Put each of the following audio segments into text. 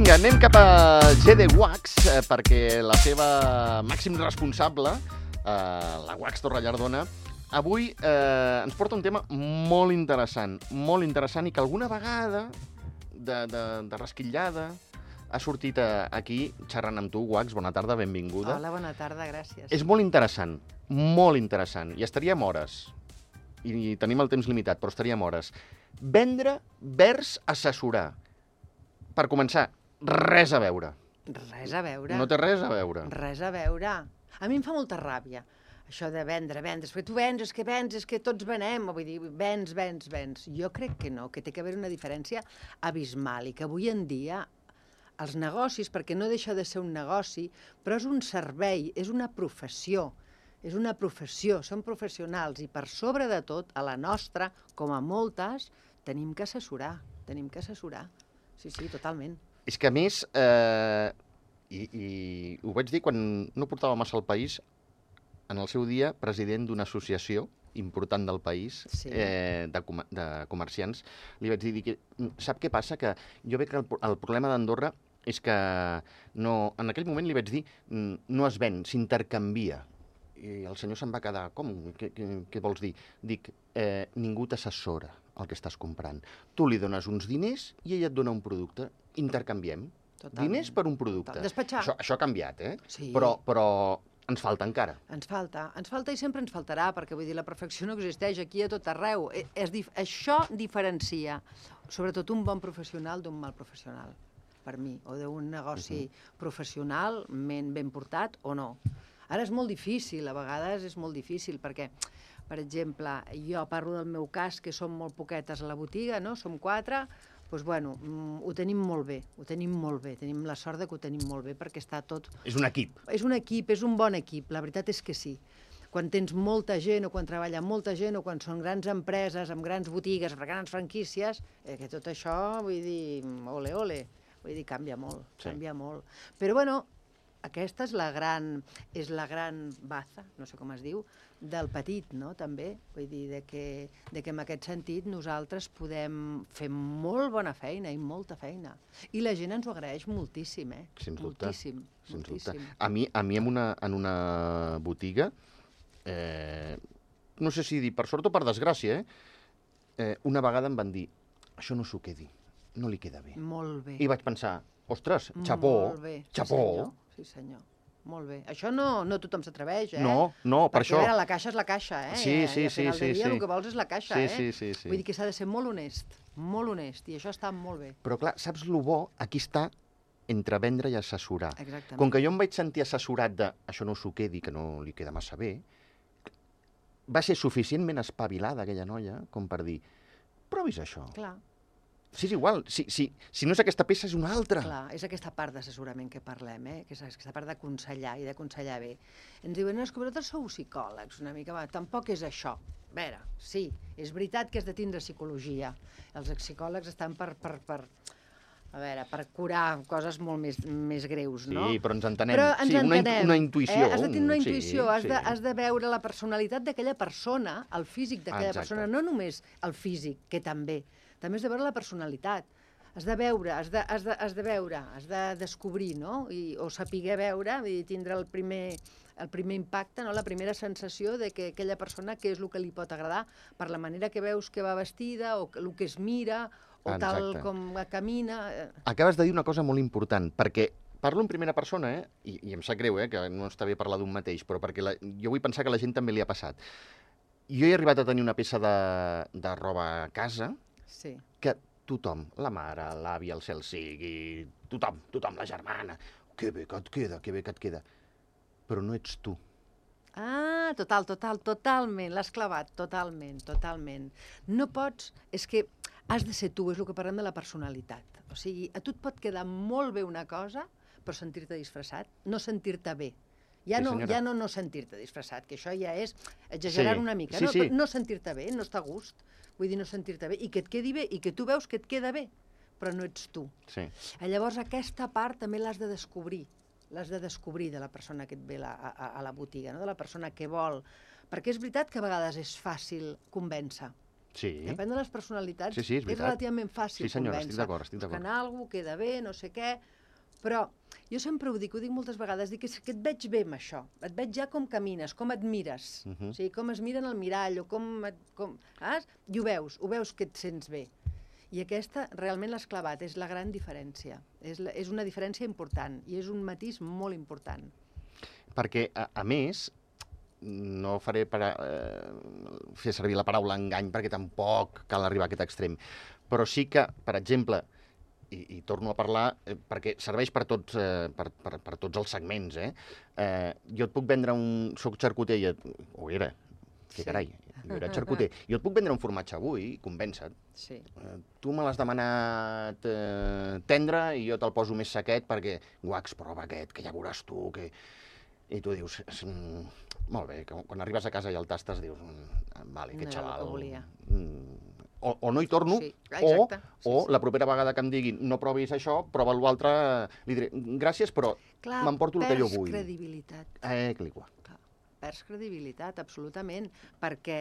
Vinga, anem cap a GD Wax, perquè la seva màxim responsable, la Wax Torrellardona, avui ens porta un tema molt interessant i que alguna vegada de rasquillada ha sortit aquí xerrant amb tu. Wax, bona tarda, benvinguda. Hola, bona tarda, gràcies. És molt interessant, i estaríem hores, i tenim el temps limitat, però estaríem hores. Vendre vers assessorar. Per començar, res a veure. Res a veure. No té res a veure. Res a veure. A mi em fa molta ràbia, això de vendre, perquè tu vens, és que tots venem, vull dir, vens. Jo crec que no, que té que haver una diferència abismal i que avui en dia els negocis, perquè no deixa de ser un negoci, però és un servei, és una professió, són professionals i per sobre de tot, a la nostra, com a moltes, tenim que assessorar. Sí, totalment. És que a més, i ho vaig dir quan no portava massa al país, en el seu dia, president d'una associació important del país, Sí. de comerciants, li vaig dir que, sap què passa? Que jo veig que el problema d'Andorra és que no, en aquell moment li vaig dir no es ven, s'intercanvia. I el senyor se'n va quedar, com? Què vols dir? Dic, ningú t'assessora el que estàs comprant. Tu li dones uns diners i ella et dona un producte. Intercanviem. Totalment. Diners per un producte. Despatxar. Això ha canviat, Sí. Però ens falta encara. Ens falta i sempre ens faltarà, perquè vull dir, la perfecció no existeix aquí a tot arreu. Això diferencia, sobretot, un bon professional d'un mal professional, per mi, o d'un negoci professional ben portat o no. Ara és molt difícil, a vegades és molt difícil, perquè, per exemple, jo parlo del meu cas, que som molt poquetes a la botiga, no? Som 4, doncs, bueno, ho tenim molt bé, tenim la sort que ho tenim molt bé, perquè està tot... És un equip. És un equip, és un bon equip, la veritat és que sí. Quan tens molta gent, o quan treballa molta gent, o quan són grans empreses, amb grans botigues, grans franquícies, que tot això, vull dir, ole, vull dir, canvia molt. Però, bueno, aquesta és la gran baza, no sé com es diu, del petit, no?, també. Vull dir, que en aquest sentit nosaltres podem fer molt bona feina i molta feina. I la gent ens ho agraeix moltíssim, Sens dubte. Moltíssim. A mi en una botiga, no sé si dir per sort o per desgràcia, una vegada em van dir, això no s'ho quedi, no li queda bé. Molt bé. I vaig pensar, ostres, xapó, xapó. Sí, senyor. Molt bé. Això no tothom s'atreveix, No, per això. Perquè, a veure, la caixa és la caixa, Sí. I al final del dia el que vols és la caixa, Sí. Vull dir que s'ha de ser molt honest, i això està molt bé. Però clar, saps lo bo? Aquí està entre vendre i assessorar. Exactament. Com que jo em vaig sentir assessorat de això no s'ho quedi, que no li queda massa bé, va ser suficientment espavilada aquella noia com per dir, provis això. Clar. Sí, és igual. Si no és aquesta peça, és una altra. Clar, és aquesta part d'assessorament que parlem, que és aquesta part d'aconsellar i d'aconsellar bé. Ens diuen, no, és que vosaltres sou psicòlegs, una mica, tampoc és això. A veure, sí, és veritat que has de tindre psicologia. Els psicòlegs estan per curar coses molt més greus, no? Sí, però ens entenem. Però ens entenem. Una intuïció. Has de tenir una intuïció, has de veure la personalitat d'aquella persona, el físic d'aquella persona, no només el físic, que també has de veure la personalitat. Has de veure, has de descobrir, no? O saber veure, i tindre el primer impacte, no? La primera sensació de que aquella persona, què és el que li pot agradar, per la manera que veus que va vestida, o el que es mira, o tal com camina. Acabes de dir una cosa molt important, perquè parlo en primera persona, i em sap greu, que no està bé parlar d'un mateix, però perquè jo vull pensar que a la gent també li ha passat. Jo he arribat a tenir una peça de roba a casa que tothom, la mare, l'àvia, el cel sigui, tothom, la germana, que bé que et queda, però no ets tu. Ah, totalment, l'has clavat, totalment. No pots, és que has de ser tu, és el que parlem de la personalitat. O sigui, a tu et pot quedar molt bé una cosa, però sentir-te disfressat, no sentir-te bé. Ja no sentir-te disfressat, que això ja és exagerar una mica. No sentir-te bé, no està a gust. Vull dir, no sentir-te bé, i que et quedi bé, i que tu veus que et queda bé, però no ets tu. Llavors, aquesta part també l'has de descobrir. L'has de descobrir de la persona que et ve a la botiga, de la persona que vol. Perquè és veritat que a vegades és fàcil convèncer. Depèn de les personalitats, és relativament fàcil convèncer. Sí, senyora, estic d'acord. Buscant alguna cosa, queda bé, no sé què, Però jo sempre ho dic moltes vegades, dic que et veig bé amb això, et veig ja com camines, com et mires, o sigui, com es mira en el mirall, o i ho veus que et sents bé. I aquesta realment l'has clavat, és la gran diferència, és una diferència important, i és un matís molt important. Perquè, a més, no faré fer servir la paraula engany, perquè tampoc cal arribar a aquest extrem, però sí que, per exemple, i torno a parlar, perquè serveix per tots els segments, jo et puc vendre soc xarcuter, o era, que carai, jo era xarcuter, jo et puc vendre un formatge avui, convença't. Sí. Tu me l'has demanat tendre i jo te'l poso més sequet perquè, guacs, prova aquest, que ja veuràs tu, que... I tu dius, molt bé, quan arribes a casa i el tastes dius, vale, aquest xaval... No era el que volia. O no hi torno, o la propera vegada que em diguin no provis això, prova l'altre, li diré gràcies, però m'emporto el que jo vull. Perds credibilitat. Perds credibilitat, absolutament, perquè,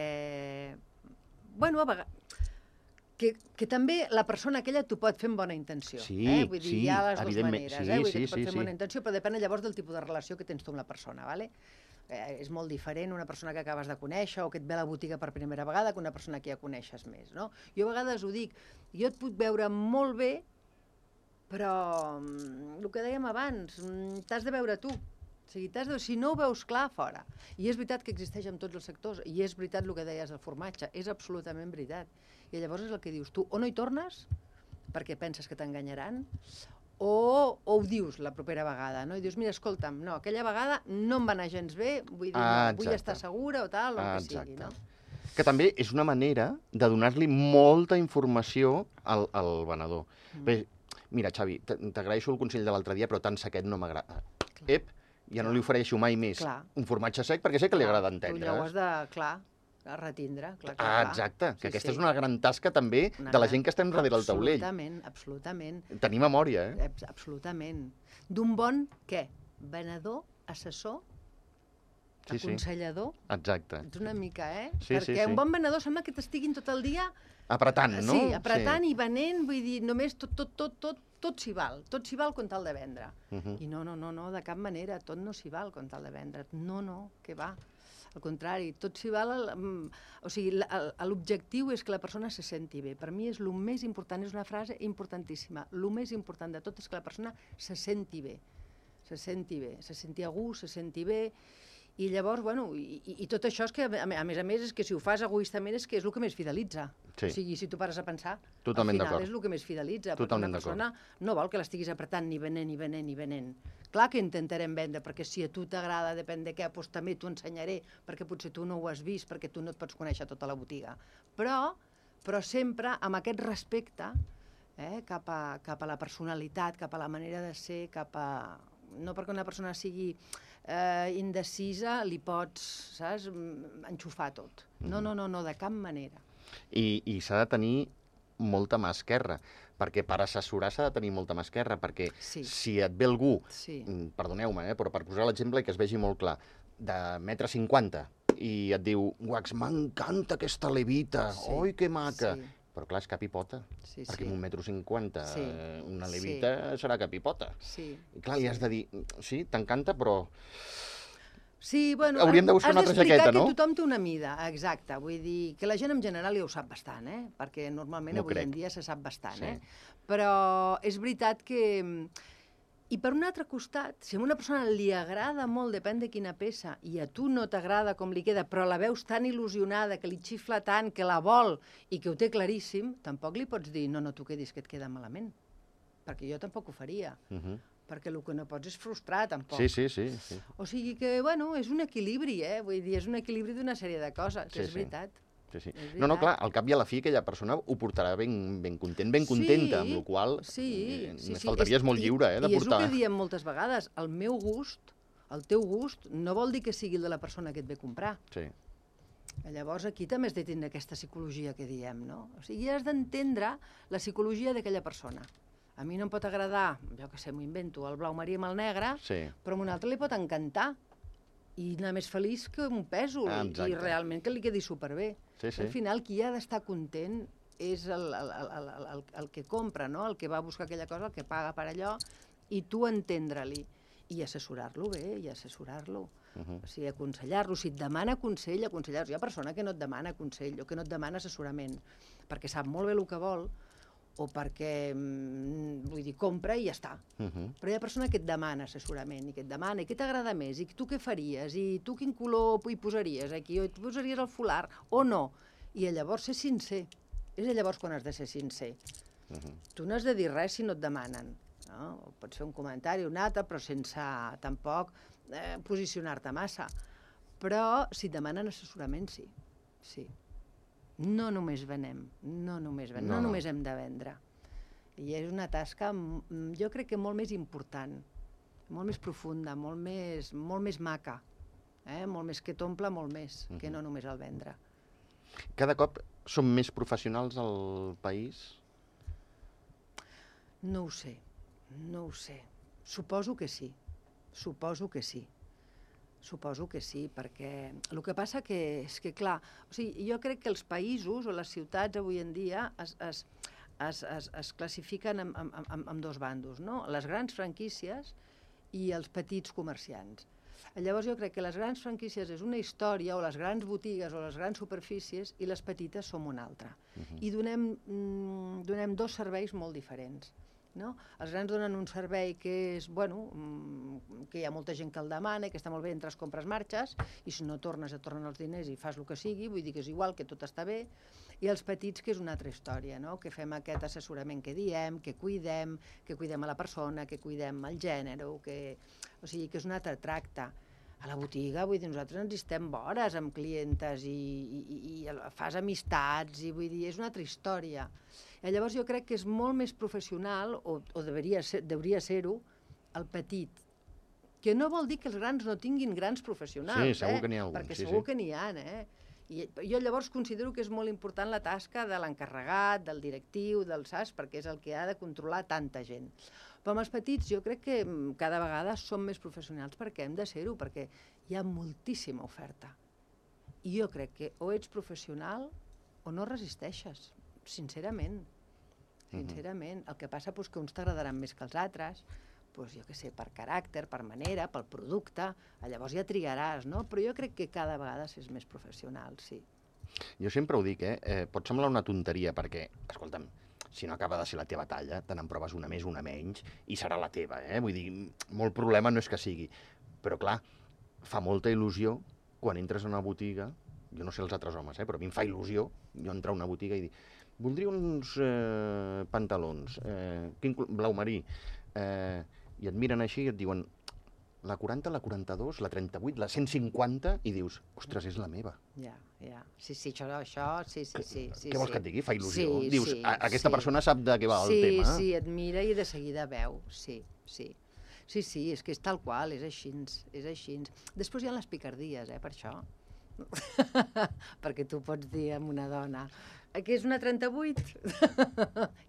bueno, a vegades... Que també la persona aquella t'ho pot fer amb bona intenció. Sí, vull dir, hi ha les dues maneres. Vull dir que et pot fer amb bona sí. intenció, però depèn llavors del tipus de relació que tens tu amb la persona, ¿vale? És molt diferent una persona que acabes de conèixer o que et ve a la botiga per primera vegada que una persona que ja coneixes més, no? Jo a vegades ho dic, jo et puc veure molt bé, però el que dèiem abans, t'has de veure tu. O sigui, si no ho veus clar, fora. I és veritat que existeix en tots els sectors, i és veritat el que deies del formatge, és absolutament veritat. I llavors és el que dius tu, o no hi tornes, perquè penses que t'enganyaran, o ho dius la propera vegada, no? I dius, mira, escolta'm, no, aquella vegada no em va anar gens bé, vull dir, no, vull estar segura o tal, o el que sigui, no? Que també és una manera de donar-li molta informació al venedor. Bé, mira, Xavi, t'agraeixo el consell de l'altre dia, però tan sequet no m'agrada. Ja no li ofereixo mai més un formatge sec perquè sé que li agrada entendre. Tu ja ho has de, retindre. Exacte, que aquesta és una gran tasca també de la gent que estem darrere del taulell. Absolutament. Tenir memòria, Absolutament. D'un bon, què? Venedor, assessor, aconsellador. Exacte. Ets una mica, Perquè un bon venedor sembla que t'estiguin tot el dia... Apretant, no? Sí, apretant i venent, vull dir, només tot s'hi val. Tot s'hi val com tal de vendre. I no, de cap manera, tot no s'hi val com tal de vendre. No, què va. Al contrari, tot s'hi val... O sigui, l'objectiu és que la persona se senti bé. Per mi és el més important, és una frase importantíssima. El més important de tot és que la persona se senti bé. Se senti a gust, se senti bé. I llavors, bueno, i tot això és que, a més, és que si ho fas egoistament és que és el que més fidelitza. O sigui, si tu pares a pensar, al final és el que més fidelitza, perquè una persona no vol que l'estiguis apretant ni venent. Clar que intentarem vendre, perquè si a tu t'agrada, depèn de què, doncs també t'ho ensenyaré, perquè potser tu no ho has vist, perquè tu no et pots conèixer tota la botiga. Però sempre amb aquest respecte cap a la personalitat, cap a la manera de ser, no perquè una persona sigui indecisa li pots, saps, enxufar tot. No, de cap manera. I s'ha de tenir molta mà esquerra, perquè per assessorar s'ha de tenir molta mà esquerra, perquè si et ve algú, perdoneu-me, però per posar l'exemple i que es vegi molt clar, de 1,50 m i et diu, guacs, m'encanta aquesta levita, oi, que maca. Però clar, és cap i pota, perquè amb 1,50 m una levita serà cap i pota. I clar, li has de dir, sí, t'encanta, però... Sí, bueno, hauríem de buscar una altra jaqueta, no? Que tothom té una mida, exacte. Vull dir que la gent en general ja ho sap bastant, perquè normalment avui en dia se sap bastant, Però és veritat que... I per un altre costat, si a una persona li agrada molt, depèn de quina peça, i a tu no t'agrada com li queda, però la veus tan il·lusionada, que li xifla tant, que la vol i que ho té claríssim, tampoc li pots dir, no, tu quedis, que et queda malament. Perquè jo tampoc ho faria. Perquè el que no pots és frustrar, tampoc. Sí. O sigui que, bueno, és un equilibri, Vull dir, és un equilibri d'una sèrie de coses, és veritat. No, clar, al cap i a la fi aquella persona ho portarà ben content, ben contenta, amb la qual cosa més faltaria, és molt lliure de portar. I és el que diem moltes vegades, el meu gust, el teu gust, no vol dir que sigui el de la persona que et ve a comprar. Llavors aquí també has de tindre aquesta psicologia que diem, no? O sigui, has d'entendre la psicologia d'aquella persona. A mi no em pot agradar, jo que sé, m'ho invento, el blau marí amb el negre, però a un altre li pot encantar. I anar més feliç que un pèsol, i realment que li quedi superbé. Al final, qui ha d'estar content és el que compra, no? El que va a buscar aquella cosa, el que paga per allò, i tu entendre-li i assessorar-lo bé, i assessorar-lo. O sigui, aconsellar-lo. Si et demana consell, aconsellar-lo. Hi ha persona que no et demana consell o que no et demana assessorament perquè sap molt bé el que vol o perquè, vull dir, compra i ja està. Però hi ha persona que et demana assessorament i que et demana, i què t'agrada més, i tu què faries, i tu quin color hi posaries aquí, o tu posaries el folar, o no. I llavors ser sincer. És llavors quan has de ser sincer. Tu no has de dir res si no et demanen. No? Pots fer un comentari o un altre, però sense tampoc posicionar-te massa. Però si et demanen assessorament, sí. Sí. No només venem, no només hem de vendre. I és una tasca, jo crec que molt més important, molt més profunda, molt més maca, molt més que t'omple, molt més, que no només el vendre. Cada cop som més professionals al país? No ho sé, no ho sé. Suposo que sí, suposo que sí. Suposo que sí, perquè el que passa és que, clar, o sigui, jo crec que els països o les ciutats avui en dia es classifiquen en dos bandos, no? Les grans franquícies i els petits comerciants. Llavors jo crec que les grans franquícies és una història, o les grans botigues o les grans superfícies, i les petites som una altra. I donem dos serveis molt diferents. No? Els grans donen un servei que és, bueno, que hi ha molta gent que el demana i que està molt bé, entres, compres, marxes, i si no tornes et tornen els diners i fas el que sigui, vull dir que és igual, que tot està bé. I els petits, que és una altra història, no? Que fem aquest assessorament que diem, que cuidem a la persona, que cuidem el gènere, o sigui, que és un altre tracte. A la botiga, vull dir, nosaltres ens estem vores amb clientes i fas amistats, i vull dir, és una altra història. I llavors jo crec que és molt més professional, o hauria de ser-ho, el petit. Que no vol dir que els grans no tinguin grans professionals, sí, segur que n'hi ha alguns, perquè segur que n'hi ha, I jo llavors considero que és molt important la tasca de l'encarregat, del directiu, del SAS, perquè és el que ha de controlar tanta gent. Però amb els petits jo crec que cada vegada som més professionals perquè hem de ser-ho, perquè hi ha moltíssima oferta. I jo crec que o ets professional o no resisteixes, sincerament. Sincerament. El que passa és que uns t'agradaran més que els altres, jo què sé, per caràcter, per manera, pel producte, llavors ja triaràs, no? Però jo crec que cada vegada és més professional, sí. Jo sempre ho dic, pot semblar una tonteria, perquè, escolta'm, si no acaba de ser la teva talla, te n'en proves una més, una menys, i serà la teva, Vull dir, molt problema no és que sigui. Però, clar, fa molta il·lusió quan entres a una botiga, jo no sé els altres homes, però a mi em fa il·lusió jo entrar a una botiga i dir voldria uns pantalons, blau marí, i et miren així i et diuen la 40, la 42, la 38, la 150, i dius, ostres, és la meva. Ja. Sí, això, sí. Què vols que et digui? Fa il·lusió. Sí, dius, aquesta persona sap de què va el tema. Sí, et mira i de seguida veu, sí. Sí, és que és tal qual, és així. Després hi ha les picardies, per això. Perquè tu pots dir a una dona que és una 38,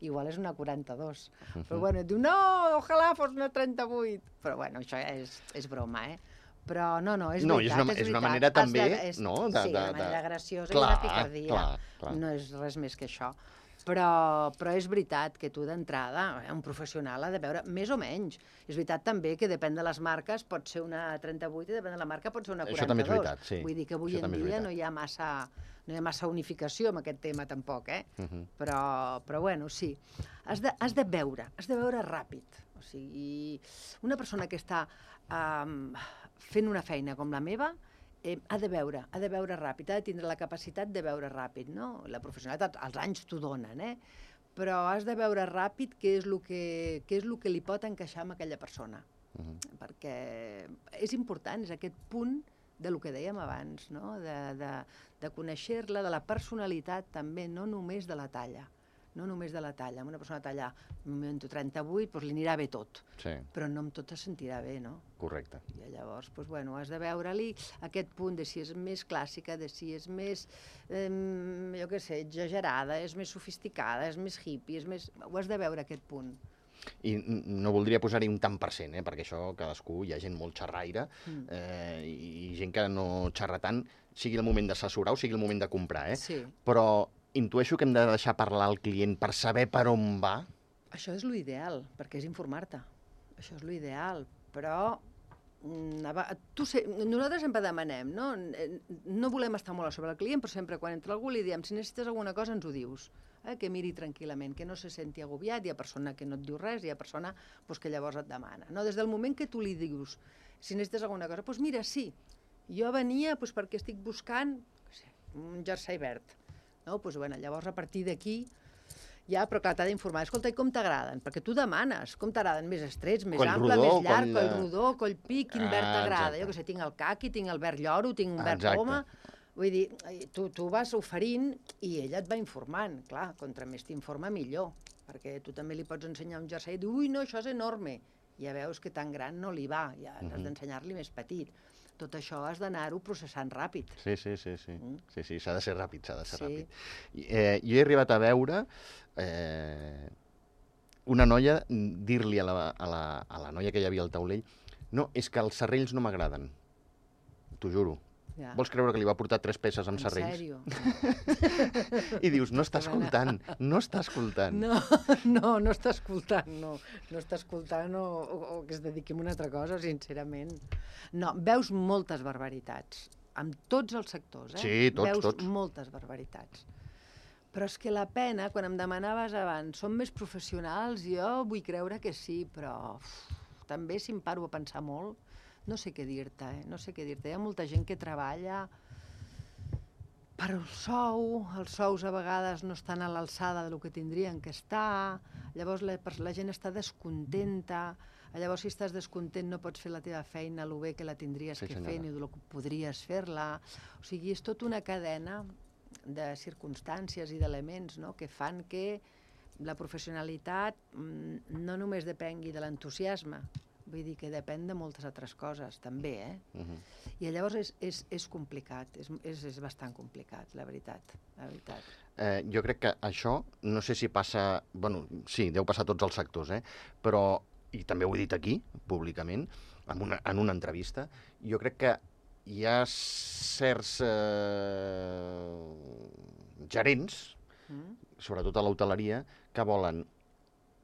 igual és una 42, però bueno, et diu, no, ojalà fos una 38, però bueno, això és broma, però no, és veritat, és una manera també, no? Sí, una manera graciosa i una picardia, no és res més que això. Però és veritat que tu d'entrada, un professional ha de veure més o menys. És veritat també que depèn de les marques, pot ser una 38 i depèn de la marca pot ser una 42. Això també és veritat, sí. Vull dir que avui en dia no hi ha massa unificació amb aquest tema tampoc, Però bueno, sí. Has de veure ràpid. O sigui, una persona que està fent una feina com la meva ha de veure ràpid, ha de tindre la capacitat de veure ràpid, no? La professionalitat, els anys t'ho donen, però has de veure ràpid què és el que li pot encaixar amb aquella persona. Perquè és important, és aquest punt del que dèiem abans, no? De conèixer-la, de la personalitat també, no només de la talla. No només de la talla. Amb una persona de talla 38, li anirà bé tot. Sí. Però no amb tot es sentirà bé, no? Correcte. I llavors, has de veure-li aquest punt de si és més clàssica, de si és més, jo què sé, exagerada, és més sofisticada, és més hippie, ho has de veure aquest punt. I no voldria posar-hi un tant per cent, perquè això cadascú, hi ha gent molt xerraire i gent que no xerra tant, sigui el moment d'assessorar o sigui el moment de comprar, Sí. Però intueixo que hem de deixar parlar al client per saber per on va. Això és l'ideal, perquè és informar-te. Això és l'ideal, però nosaltres sempre demanem, no? No volem estar molt a sobre el client, però sempre quan entra algú li diem, si necessites alguna cosa ens ho dius, que miri tranquil·lament, que no se senti agobiat, hi ha persona que no et diu res, hi ha persona que llavors et demana. No? Des del moment que tu li dius, si necessites alguna cosa, doncs mira, sí, jo venia perquè estic buscant un jersei verd. No? Llavors a partir d'aquí ja, però clar, t'ha d'informar. Escolta, i com t'agraden? Perquè tu demanes, com t'agraden? Més estrets, més ample, més llarg, coll rodó, coll pi, quin verd t'agrada? Jo què sé, tinc el caqui, tinc el verd lloro, tinc un verd poma. Vull dir, tu vas oferint i ella et va informant. Clar, contra més t'informa, millor. Perquè tu també li pots ensenyar un jersei i dir, ui, no, això és enorme. Ja veus que tan gran no li va, ja has d'ensenyar-li més petit. Tot això has d'anar-ho processant ràpid. Sí, s'ha de ser ràpid, ràpid. Jo he arribat a veure una noia dir-li a la noia que hi havia al taulell, no, és que els serrells no m'agraden, t'ho juro. Ja. Vols creure que li va portar 3 peces amb serrells? En sèrio? I dius, no està escoltant. No, està escoltant, no està escoltant o que es dediqui a una altra cosa, sincerament. No, veus moltes barbaritats, amb tots els sectors, Sí, tots. Veus moltes barbaritats. Però és que la pena, quan em demanaves abans, són més professionals? Jo vull creure que sí, però també si em paro a pensar molt, no sé què dir-te, no sé què dir-te. Hi ha molta gent que treballa per el sou, els sous a vegades no estan a l'alçada del que tindrien que estar, llavors la gent està descontenta, llavors si estàs descontent no pots fer la teva feina el bé que la tindries que fer ni el que podries fer-la. O sigui, és tota una cadena de circumstàncies i d'elements que fan que la professionalitat no només depengui de l'entusiasme, vull dir que depèn de moltes altres coses, també, I llavors és complicat, és bastant complicat, la veritat. Jo crec que això, no sé si passa... Bueno, sí, deu passar a tots els sectors, però, i també ho he dit aquí, públicament, en una entrevista, jo crec que hi ha certs gerents, sobretot a l'hoteleria, que volen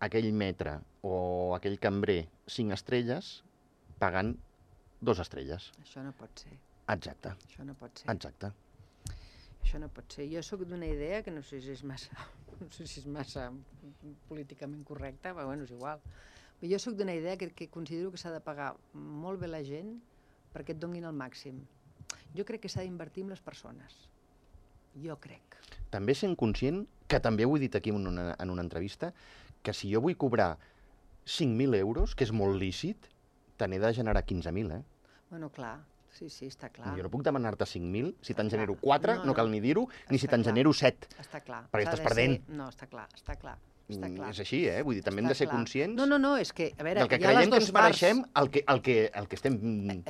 aquell metre o aquell cambrer 5 estrelles pagant 2 estrelles. Això no pot ser. Exacte. Això no pot ser. Exacte. Això no pot ser. Jo sóc d'una idea que no sé si és massa políticament correcta, però bueno, és igual. Però jo sóc d'una idea que considero que s'ha de pagar molt bé la gent perquè et donin el màxim. Jo crec que s'ha d'invertir en les persones. Jo crec. També sent conscient, que també ho he dit aquí en una entrevista, que si jo vull cobrar 5.000 euros, que és molt lícit, te n'he de generar 15.000, Bueno, clar, sí, està clar. Jo no puc demanar-te 5.000, si te'n genero 4, no cal ni dir-ho, ni si te'n genero 7. Està clar. Perquè estàs perdent. No, està clar. És així, vull dir, també hem de ser conscients... No, és que, a veure, del que creiem que ens mereixem el que estem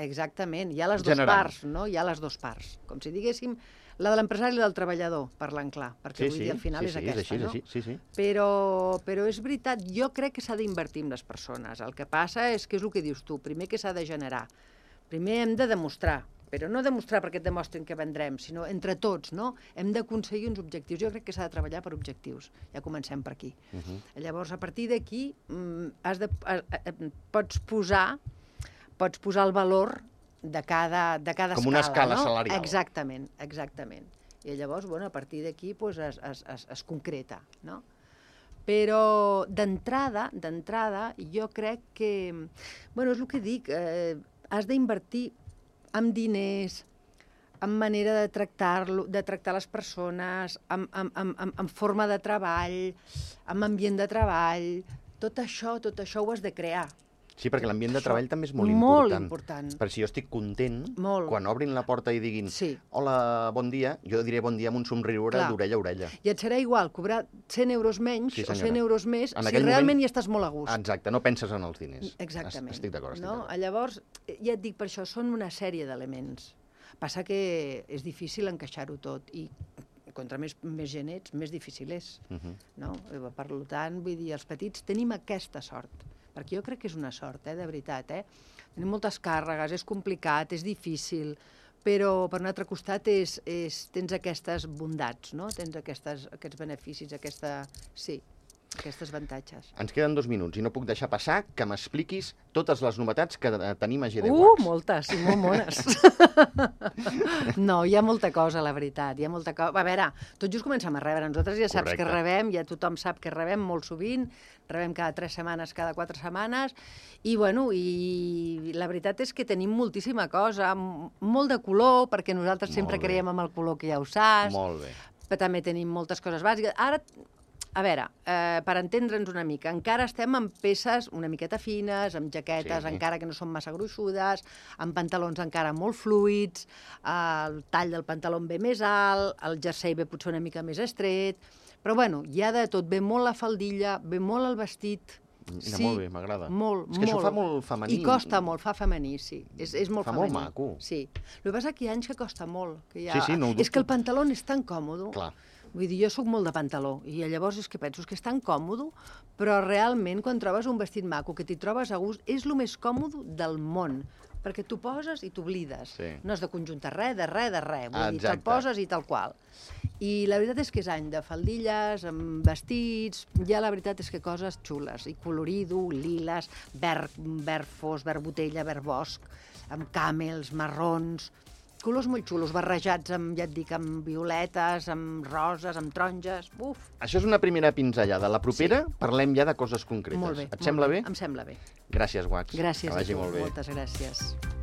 Exactament, hi ha les dues parts, no? Hi ha les dues parts. Com si diguéssim, la de l'empresari i la del treballador, parlant clar, perquè vull dir, al final és aquesta, no? Sí. Però és veritat, jo crec que s'ha d'invertir en les persones. El que passa és que és el que dius tu, primer que s'ha de generar. Primer hem de demostrar, però no demostrar perquè et demostren que vendrem, sinó entre tots, no? Hem d'aconseguir uns objectius. Jo crec que s'ha de treballar per objectius. Ja comencem per aquí. Llavors, a partir d'aquí, pots posar el valor de cada escala. Com una escala salarial. Exactament. I llavors, a partir d'aquí es concreta, no? Però d'entrada, jo crec que... és el que dic, has d'invertir en diners, en manera de tractar les persones, en forma de treball, en ambient de treball. Tot això ho has de crear. Sí, perquè l'ambient de treball també és molt important. Perquè si jo estic content, quan obrin la porta i diguin hola, bon dia, jo diré bon dia amb un somriure d'orella a orella. I et serà igual cobrar 100 euros menys o 100 euros més si realment hi estàs molt a gust. Exacte, no penses en els diners. Exactament. Estic d'acord. Llavors, ja et dic, per això són una sèrie d'elements. Passa que és difícil encaixar-ho tot i contra més gent ets, més difícil és. Per tant, vull dir, els petits tenim aquesta sort. Perquè jo crec que és una sort, de veritat. Tenim moltes càrregues, és complicat, és difícil, però per un altre costat tens aquestes bondats, no? Tens aquests beneficis, aquesta... Sí, aquests avantatges. Ens queden 2 minuts i no puc deixar passar que m'expliquis totes les novetats que tenim a GD Wax. Moltes, i molt mones. No, hi ha molta cosa, la veritat, hi ha molta cosa. A veure, tot just comencem a rebre, nosaltres ja saps que rebem, ja tothom sap que rebem molt sovint, rebem cada 3 setmanes, cada 4 setmanes, i bueno, i la veritat és que tenim moltíssima cosa, molt de color, perquè nosaltres sempre creiem en el color que ja ho saps. Molt bé. Però també tenim moltes coses bàsiques. Ara, a veure, per entendre'ns una mica, encara estem amb peces una miqueta fines, amb jaquetes encara que no són massa gruixudes, amb pantalons encara molt fluids, el tall del pantaló ve més alt, el jersei ve potser una mica més estret, però bueno, hi ha de tot, ve molt la faldilla, ve molt el vestit. Sí, molt bé, m'agrada. Molt, és que això fa molt femení. I costa molt, fa femení, sí. És molt femení. Fa molt maco. Sí. El que passa és que hi ha anys que costa molt. Que Sí, no ho dubto. És que el pantaló és tan còmode. Clar. Vull dir, jo sóc molt de pantaló, i llavors és que penso que és tan còmode, però realment quan trobes un vestit maco, que t'hi trobes a gust, és el més còmode del món, perquè t'ho poses i t'oblides. Sí. No has de conjuntar res, de res. Vull dir, te'l Exacte. poses i tal qual. I la veritat és que és any de faldilles, amb vestits, ja la veritat és que coses xules, i colorido, liles, verd fos, verd botella, verd bosc, amb camels, marrons, colors molt xulos, barrejats amb, ja et dic, amb violetes, amb roses, amb taronges, uf. Això és una primera pinzellada. La propera parlem ja de coses concretes. Molt bé. Et sembla bé? Em sembla bé. Gràcies, Wax. Gràcies que vagi a tu, molt bé. moltes gràcies.